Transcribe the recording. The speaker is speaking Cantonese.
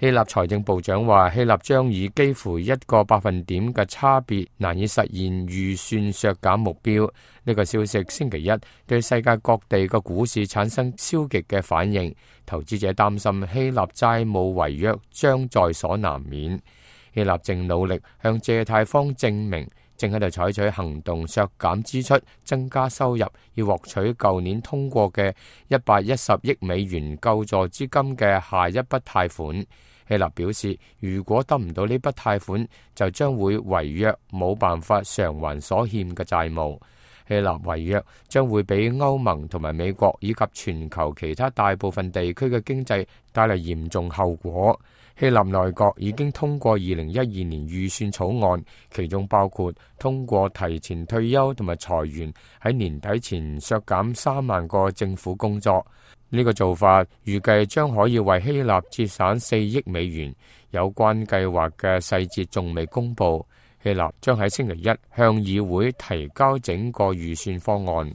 希臘財政部長話，希臘將以幾乎1個百分點嘅差別難以實現預算削減目標。呢個消息星期一對世界各地嘅股市產生消極嘅反應，投資者擔心希臘債務違約將在所難免。希臘正努力向借貸方證明，正喺度採取行動削減支出、增加收入，要獲取舊年通過嘅110億美元救助資金嘅下一筆貸款。希臘表示，如果得唔到呢筆貸款，就將會違約，冇辦法償還所欠嘅債務。希臘違約將會俾歐盟同埋美國以及全球其他大部分地區嘅經濟帶嚟嚴重後果。希臘內閣已經通過2012年預算草案，其中包括通過提前退休同埋裁員，喺年底前削減3萬個政府工作。呢個做法預計將可以為希臘節省4億美元。有關計劃嘅細節仲未公布。希臘將喺星期一向議會提交整個預算方案。